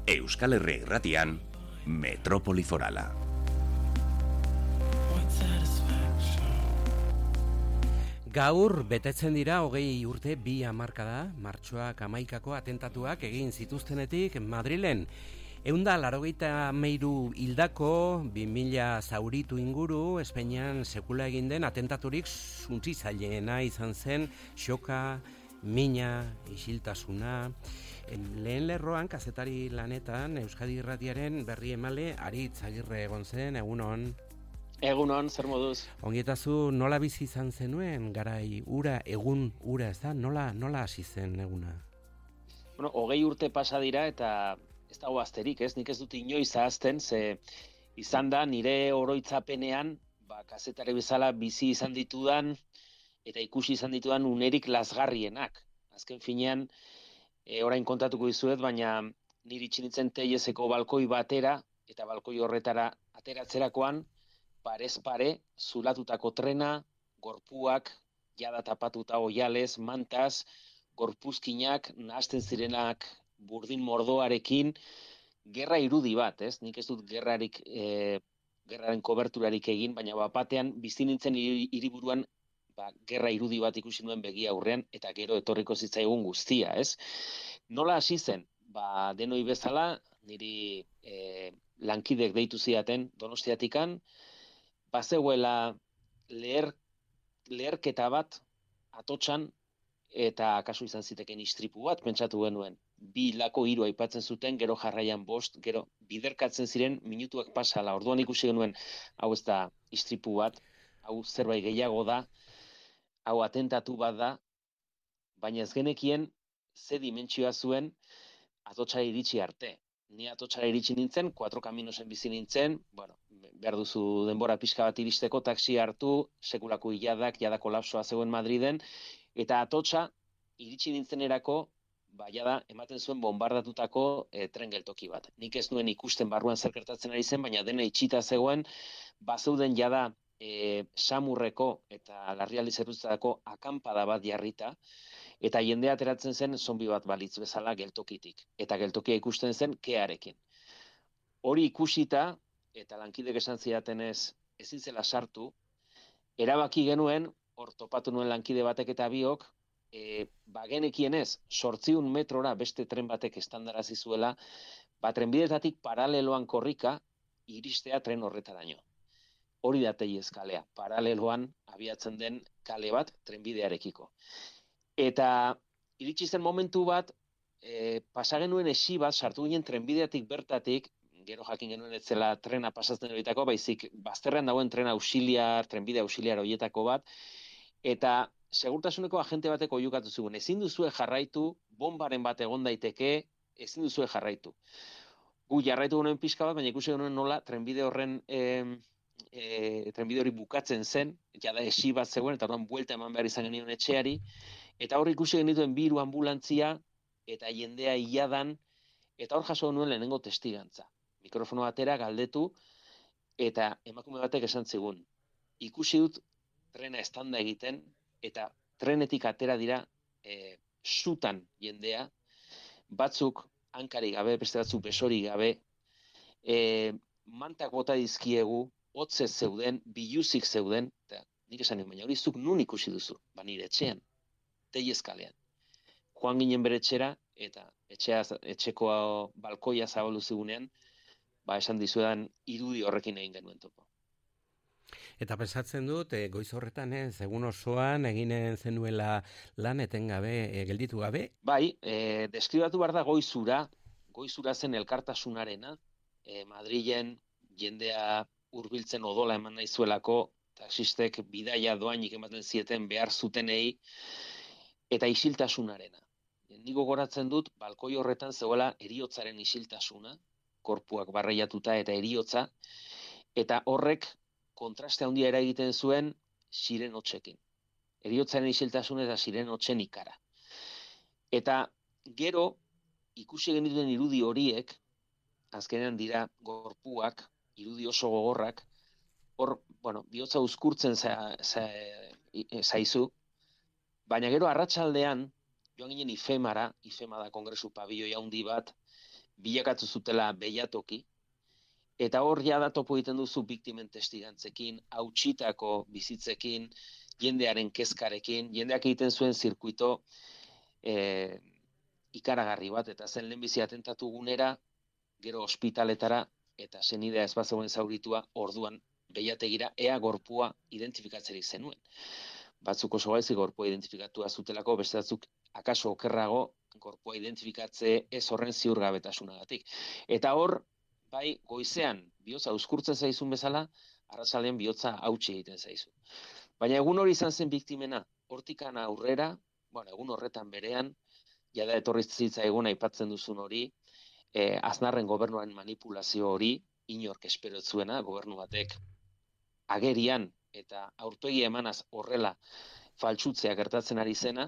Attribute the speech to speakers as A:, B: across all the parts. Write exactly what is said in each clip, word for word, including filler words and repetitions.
A: Euskal Herria Irratian, Metropoli Forala.
B: Gaur betetzen dira hogei urte bi hamarkada, martxoak hamaikako atentatuak egin zituztenetik Madrilen. Ehunda laurogeita hamairu hildako, bi mila zauritu inguru, Espainian sekula egin den atentaturik suntsitzaileena izan zen, xoka, mina, isiltasuna. Lehen lerroan, kazetari lanetan, Euskadi Irratiaren berri emale Aritz Agirre egon zen, egunon.
C: Egunon, zer moduz?
B: Ongietazu, nola bizi izan zenuen, garai ura, egun ura, ez da? Nola, nola hasi zen eguna?
C: Bueno, hogei urte pasa dira eta ez dago asterik, ez? Nik ez dut inoiz ahazten, ze izan da nire oroitzapenean, ba, kazetari bezala bizi izan ditudan eta ikusi izan ditudan unerik lazgarrienak. Azken finean, e, orain kontatuko dizuet, baina niri itxinitzen teilezeko balkoi batera eta balkoi horretara ateratzerakoan, parez pare, zulatutako trena, gorpuak, jada tapatuta oialez, mantaz, gorpuzkinak, nahasten zirenak burdin mordoarekin, gerra irudi bat, ez? Nik ez dut gerrarik, e, gerraren koberturarik egin, baina bat batean bizi nintzen hiriburuan ba, gerra irudi bat ikusi nuen begi aurrean, eta gero etorriko zitzaigun guztia, ez? Nola hasi zen? Ba, denoi bezala, niri e, lankidek deitu zidaten Donostiatikan, bazegoela leher, leherketa bat atotxan, eta kasu izan ziteken istripu bat, pentsatu genuen. Bi lako hiru aipatzen zuten, gero jarraian bost, gero biderkatzen ziren minutuak pasala. Orduan ikusi genuen, hau ez da istripu bat, hau zerbait gehiago da, hau atentatu bat da, baina ez genekien ze dimentsioa zuen atotxara iritsi arte. Ni atotxara iritsi nintzen, Cuatro Caminosen bizi nintzen, bueno, behar duzu denbora pixka bat iristeko, taxi hartu, sekulako hiladak, jada kolapsoa zegoen Madriden, eta atotxa iritsi nintzenerako, ba, jada ematen zuen bombardatutako e, tren geltoki bat. Nik ez nuen ikusten barruan zer gertatzen ari zen, baina dena itxita zegoen, bazeuden jada e, Samurreko eta larrialdi zerbitzuetako akanpada bat jarrita, eta jendea ateratzen zen zombi bat balitz bezala geltokitik. Eta geltokia ikusten zen kearekin. Hori ikusita, eta lankidek esan zidatenez ezin zela sartu, erabaki genuen, hor topatu nuen lankide batek eta biok, e, bagenekienez, zortziehun metrora beste tren batek estandarazi zuela, ba, trenbidetatik paraleloan korrika iristea tren horretaraino. Hori da teilezkalea, paraleloan abiatzen den kale bat trenbidearekiko. Eta iritsi zen momentu bat, e, pasa genuen esi bat, sartu ginen trenbideatik bertatik, gero jakin genuen ez zela trena pasatzen horietako, baizik bazterrean dagoen tren auxiliar, trenbide auxiliar horietako bat, eta segurtasuneko agente bateko oiukatu zigun, ezin duzue jarraitu, bombaren bat egon daiteke, ezin duzue jarraitu. Gu jarraitu genuen pixka bat, baina ikusi genuen nola trenbide horren e, e, trenbide hori bukatzen zen, jada esi bat zegoen, eta orduan buelta eman behar izan genion etxeari, eta hor ikusi genituen bi hiru anbulantzia, eta jendea iladan, eta hor jaso genuen lehenengo testigantza. Mikrofono batera galdetu, eta emakume batek esan zigun. Ikusi dut trena estanda egiten, eta trenetik atera dira e, sutan jendea, batzuk hankari gabe, beste batzuk besori gabe, e, mantak bota dizkiegu, hotzez zeuden, biluzik zeuden, eta nik esan nien, baina hori zuk nun ikusi duzu, ba nire etxean, teilezkalean. Joan ginen bere etxera, eta etxea, etxeko balkoia zabaldu zigunean, ba esan dizuedan irudi horrekin egin genuen topo.
B: Eta pensatzen dut, e, goiz horretan, ez, egun osoan eginen zenuela lan etengabe, e, gelditu gabe?
C: Bai, e, deskribatu behar da goizura, goizura zen elkartasunarena, e, Madrilen jendea hurbiltzen odola eman nahi zuelako, taxistek bidaia doainik ematen zieten behar zutenei, eta isiltasunarena. Nik gogoratzen dut, balkoi horretan zegoela heriotzaren isiltasuna, korpuak barreiatuta eta heriotza, eta horrek kontraste handia eragiten zuen sirenotxekin. Heriotzaren isiltasuna eta sirenotxen ikara. Eta gero, ikusi genituen irudi horiek, azkenean dira gorpuak, irudi oso gogorrak, hor, bueno, bihotza uzkurtzen za, za, zaizu, Baina gero arratsaldean joan ginen ifemara, ifema da kongresu pabioi handi bat, bilakatu zutela behiatoki, eta hor jada topo egiten duzu biktimen testigantzekin, hautsitako bizitzekin, jendearen kezkarekin, jendeak egiten zuen zirkuito e, ikaragarri bat, eta zen lehenbizi atentatu gunera, gero ospitaletara, eta senidea ez bazegoen zauritua, orduan behiategira ea gorpua identifikatzerik zenuen. Batzuk oso gaizki gorpua identifikatua zutelako, beste batzuk akaso okerrago gorpua identifikatze ez horren ziurgabetasunagatik. Eta hor, bai, goizean bihotza uzkurtzen zaizun bezala, arratsaldean bihotza hautsi egiten zaizu. Baina egun hori izan zen biktimena, hortikan aurrera, bueno, egun horretan berean, jada etorri zitzaigun aipatzen duzun hori, eh, Aznarren gobernuaren manipulazio hori, inork espero zuena, gobernu batek agerian eta aurpegi emanaz horrela faltsutzea gertatzen ari zena,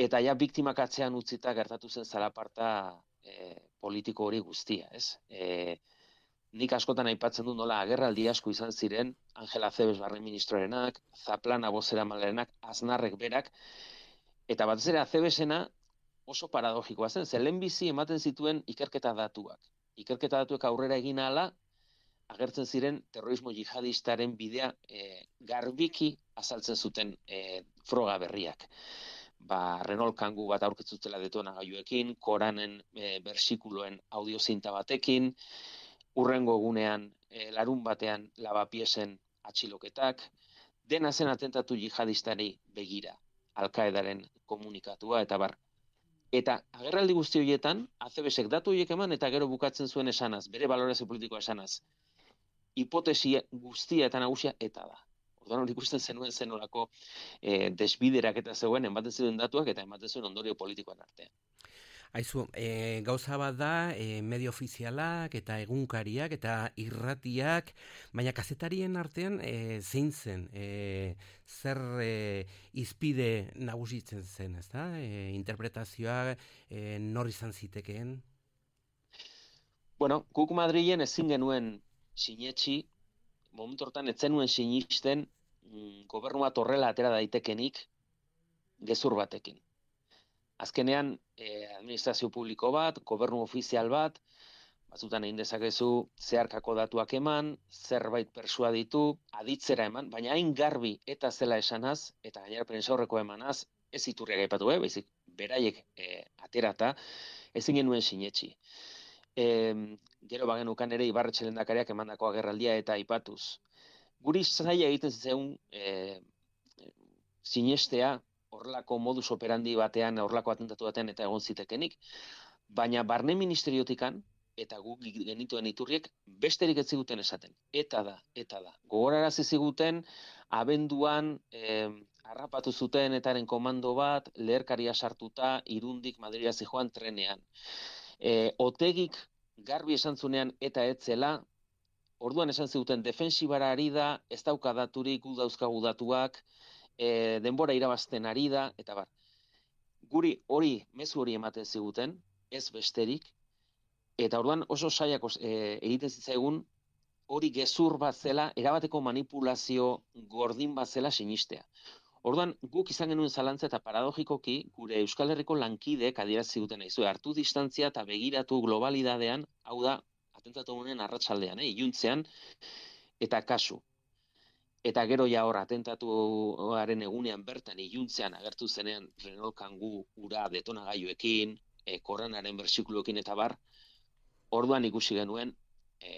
C: eta ja biktimak atzean utzita gertatu zen zalaparta e, politiko hori guztia, ez? E, nik askotan aipatzen du nola agerraldi asko izan ziren, Angela Zebes barne ministroarenak, Zaplana bozeramalerenak, Aznarrek berak, eta batez ere Zebesena oso paradogikoa zen, ze lehenbizi ematen zituen ikerketa datuak. Ikerketa datuek aurrera egin ahala, agertzen ziren terrorismo jihadistaren bidea e, garbiki azaltzen zuten e, froga berriak. Ba, Renault Kangoo bat aurkitzutela detonagailuekin, Koranen e, bersikuloen audiozinta batekin, urrengo egunean e, larun batean lavapiesen atxiloketak, dena zen atentatu jihadistari begira, Al-Qaedaren komunikatua, eta bar. Eta agerraldi guzti horietan, Azebesek datu horiek eman, eta gero bukatzen zuen esanaz, bere balorazio politikoa esanaz, hipotesi guztia eta nagusia eta da. Orduan hori ikusten zenuen zenolako e, desbiderak eta zegoen, ematen ziren datuak eta ematen zuen ondorio politikoan artean.
B: Aizu, e, gauza bat da, e, medio ofizialak eta egunkariak eta irratiak, baina kazetarien artean e, zein zen, e, zer e, izpide nagusitzen zen, ez da? E, interpretazioa e, nor izan zitekeen?
C: Bueno, guk Madrilen ezin genuen sinetxi, momentu hortan ez zenuen sinisten mm, gobernu bat horrela atera daitekenik gezur batekin. Azkenean, eh, administrazio publiko bat, gobernu ofizial bat, batzutan egin dezakezu zeharkako datuak eman, zerbait persuaditu, aditzera eman, baina hain garbi eta zela esanaz, eta gainera prentsaurreko emanaz, ez iturriak aipatu, eh, baizik beraiek eh, aterata, ezin genuen sinetxi. E, gero bagenukan ere Ibarretxe lehendakariak emandako agerraldia eta aipatuz. Guri zaila egiten zeun e, sinestea horrelako modus operandi batean, horrelako atentatu batean eta egon zitekenik, baina barne ministeriotikan eta guk genituen iturriek besterik ez ziguten esaten. Eta da, eta da. Gogorarazi ziguten abenduan e, harrapatu zuten etaren komando bat, leherkaria sartuta, Irundik Madrila zijoan trenean. E, otegik garbi esan zunean eta etzela, orduan esan zuten defensibara ari da, ez dauka daturik, gu dauzkagu datuak, e, denbora irabazten ari da, eta bar. Guri hori, mezu hori ematen ziguten, ez besterik, eta orduan oso saiak e, egiten zitzaigun, hori gezur bat zela, erabateko manipulazio gordin bat zela sinistea. Orduan, guk izan genuen zalantza eta paradogikoki, gure Euskal Herriko lankideek adierazi ziguten aizu, hartu distantzia eta begiratu globalidadean, hau da, atentatu honen arratsaldean, eh, iluntzean, eta kasu. Eta gero ja hor, atentatuaren egunean bertan, iluntzean agertu zenean Renault Kangoo ura detonagailuekin, e, Koranaren bersikuloekin eta bar, orduan ikusi genuen, e,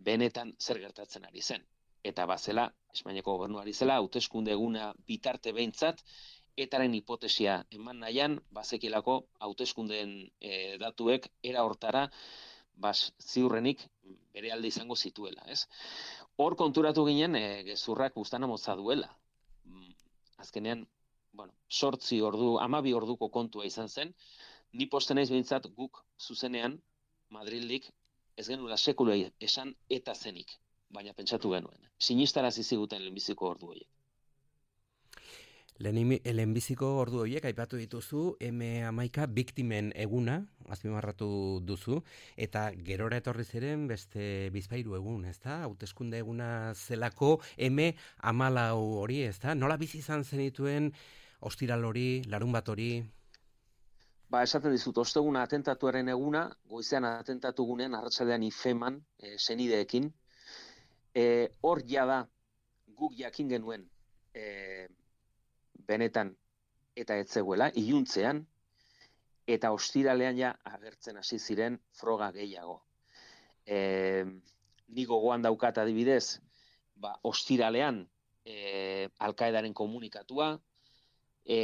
C: benetan zer gertatzen ari zen. Eta bazela, Espainiako gobernuari zela, hauteskunde eguna bitarte behintzat, etaren hipotesia eman nahian, bazekilako hauteskundeen e, datuek era hortara, bas, ziurrenik bere alde izango zituela, ez? Hor konturatu ginen, e, gezurrak buztana motza duela. Azkenean, bueno, sortzi ordu, amabi orduko kontua izan zen, ni posten naiz behintzat guk zuzenean, Madrildik, ez genuela sekula esan eta zenik. Baina pentsatu genuen. Sinistarazi ziguten lehenbiziko ordu horiek.
B: Lehenbiziko ordu horiek aipatu dituzu, eme hamaika biktimen eguna, azpimarratu duzu, eta gerora etorri ziren beste bizpahiru egun, ezta? Hauteskunde eguna zelako eme hamalau hori, ezta? Nola bizi izan zenituen ostiral hori, larun bat hori?
C: Ba, esaten dizut, osteguna atentatuaren eguna, goizean atentatu gunean, arratsaldean ifeman, e, senideekin. E, hor jada, guk jakin genuen, e, benetan, eta ez zegoela, iluntzean, eta ostiralean ja agertzen hasi ziren froga gehiago. E, ni gogoan daukat adibidez, ba, ostiralean e, Alkaedaren komunikatua, e,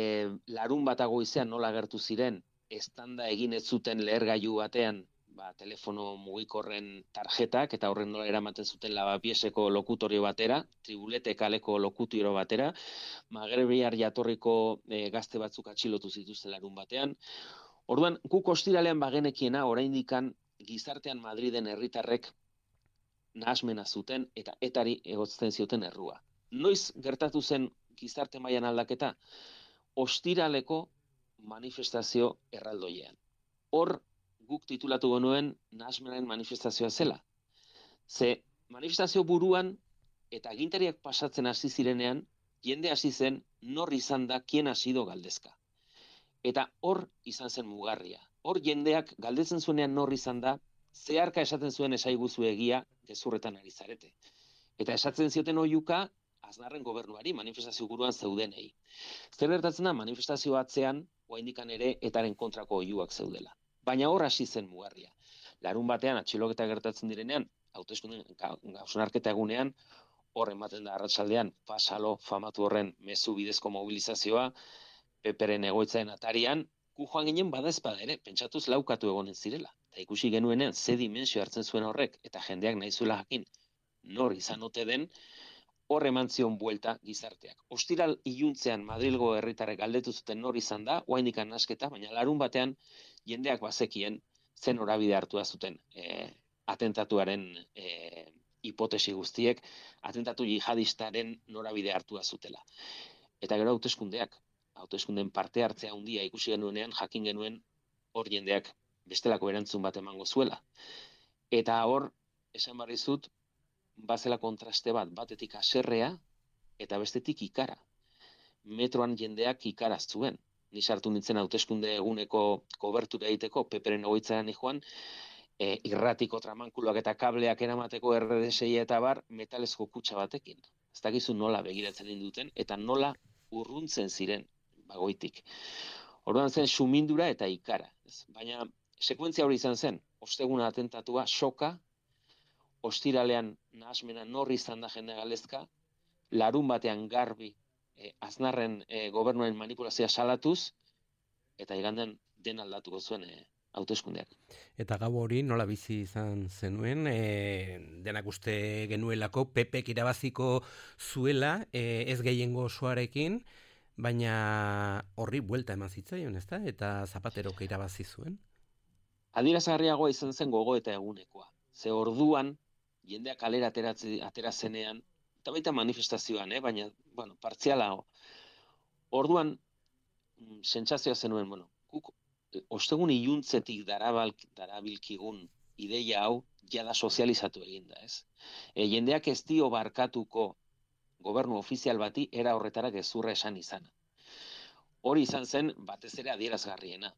C: larun bata goizean nola agertu ziren, estanda egin ez zuten lehergailu batean, ba, telefono mugikorren tarjetak, eta horren nola eramaten zuten Lavapieseko lokutorio batera, Tribulete kaleko lokutorio batera, magrebiar jatorriko e, gazte batzuk atxilotu zituzten larun batean. Orduan, guk ostiralean bagenekiena, oraindikan gizartean Madriden herritarrek nahasmena zuten eta etari egotzen zioten errua. Noiz gertatu zen gizarte mailan aldaketa? Ostiraleko manifestazio erraldoiean. Hor, guk titulatu genuen nahasmenaren manifestazioa zela. Ze manifestazio buruan eta agintariak pasatzen hasi zirenean, jende hasi zen nor izan da, kien ha sido galdezka. Eta hor izan zen mugarria. Hor jendeak galdetzen zuenean nor izan da, zeharka esaten zuen esaiguzu egia gezurretan ari zarete. Eta esatzen zioten oiuka Aznarren gobernuari manifestazio buruan zeudenei. Zer gertatzen da manifestazio atzean, oraindikan ere etaren kontrako oihuak zeudela. Baina hor hasi zen mugarria. Larun batean atxiloketa gertatzen direnean, hauteskunde hausnarketa egunean, hor ematen da arratsaldean pasalo famatu horren mezu bidezko mobilizazioa, Peperen egoitzaren atarian, gu joan ginen badaezpada ere, pentsatuz laukatu egonen zirela. Eta ikusi genuenean ze dimensio hartzen zuen horrek, eta jendeak nahi zuela jakin nor izan ote den, hor eman zion buelta gizarteak. Ostiral iluntzean Madrilgo herritarrek galdetu zuten nor izan da, oraindik nasketa, baina larun batean jendeak bazekien zen norabide hartua zuten e, atentatuaren e, hipotesi guztiek, atentatu jihadistaren norabide hartua zutela. Eta gero hauteskundeak, hauteskundeen parte hartzea handia ikusi genuenean, jakin genuen hor jendeak bestelako erantzun bat emango zuela. Eta hor, esan barri zut, bazela kontraste bat, batetik haserrea eta bestetik ikara. Metroan jendeak ikaraz zuen. Ni sartu nintzen hauteskunde eguneko kobertura egiteko, Peperen egoitzaren joan, e, irratiko tramankuloak eta kableak eramateko erre de sei eta bar, metalezko kutxa batekin. Ez dakizu nola begiratzen induten, eta nola urruntzen ziren bagoitik. Orduan zen sumindura eta ikara. Ez? Baina sekuentzia hori izan zen, osteguna atentatua, soka, ostiralean nahasmena nor izan da jende galdezka, larun batean garbi e, Aznarren e, gobernuaren manipulazioa salatuz, eta igandean den aldatuko zuen e, hauteskundeak.
B: Eta gau hori nola bizi izan zenuen, e, denak uste genuelako, Pepek irabaziko zuela, e, ez gehiengo osoarekin, baina horri buelta eman zitzaion, ezta? Eta Zapaterok irabazi zuen?
C: Adierazgarriagoa izan zen gogoeta egunekoa. Ze orduan, jendeak kalera atera zenean, eta baita manifestazioan, eh? Baina, bueno, partzialago. Orduan, sentsazioa zenuen, bueno, guk ostegun iluntzetik darabilkigun ideia hau jada sozializatu eginda, ez? E, jendeak ez dio barkatuko gobernu ofizial bati era horretara gezurra esan izana. Hori izan zen batez ere adierazgarriena.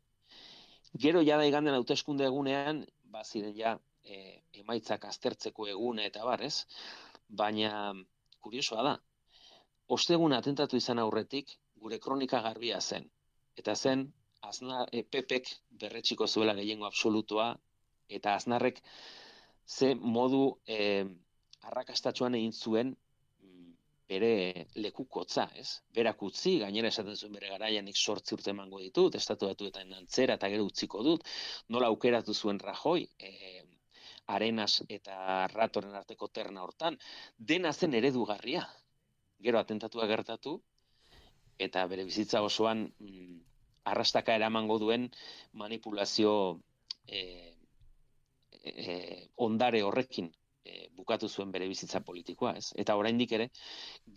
C: Gero jada iganden hauteskunde egunean, baziren ja e, emaitzak aztertzeko egune eta bar, ez? Baina kuriosoa da. Ostegun atentatu izan aurretik gure kronika garbia zen. Eta zen Aznar, e, Pepek berretxiko zuela gehiengo absolutoa, eta Aznarrek ze modu e, arrakastatxoan egin zuen bere lekukotza, ez? Berak utzi, gainera esaten zuen bere garaian nik sortzi urte emango ditut, estatu batuetan antzera eta gero utziko dut, nola aukeratu zuen Rajoy, e, Arenas eta Ratoren arteko terna hortan, dena zen eredugarria. Gero atentatua gertatu, eta bere bizitza osoan mm, arrastaka eramango duen manipulazio e, e, ondare horrekin e, bukatu zuen bere bizitza politikoa, ez? Eta oraindik ere,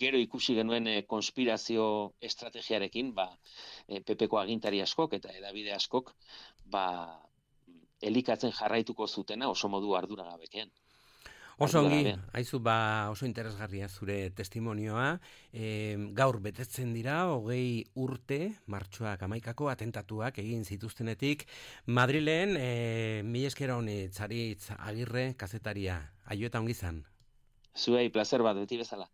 C: gero ikusi genuen e, konspirazio estrategiarekin, ba, e, Pepeko agintari askok eta edabide askok, ba, elikatzen jarraituko zutena oso modu arduragabekean.
B: Oso ongi, haizu ba oso interesgarria zure testimonioa. E, gaur betetzen dira hogei urte martxoak hamaikako atentatuak egin zituztenetik Madrilen. E, mila esker honi Txaritz Agirre kazetaria. Aio eta ongi izan.
C: Zuei placer bat beti bezala.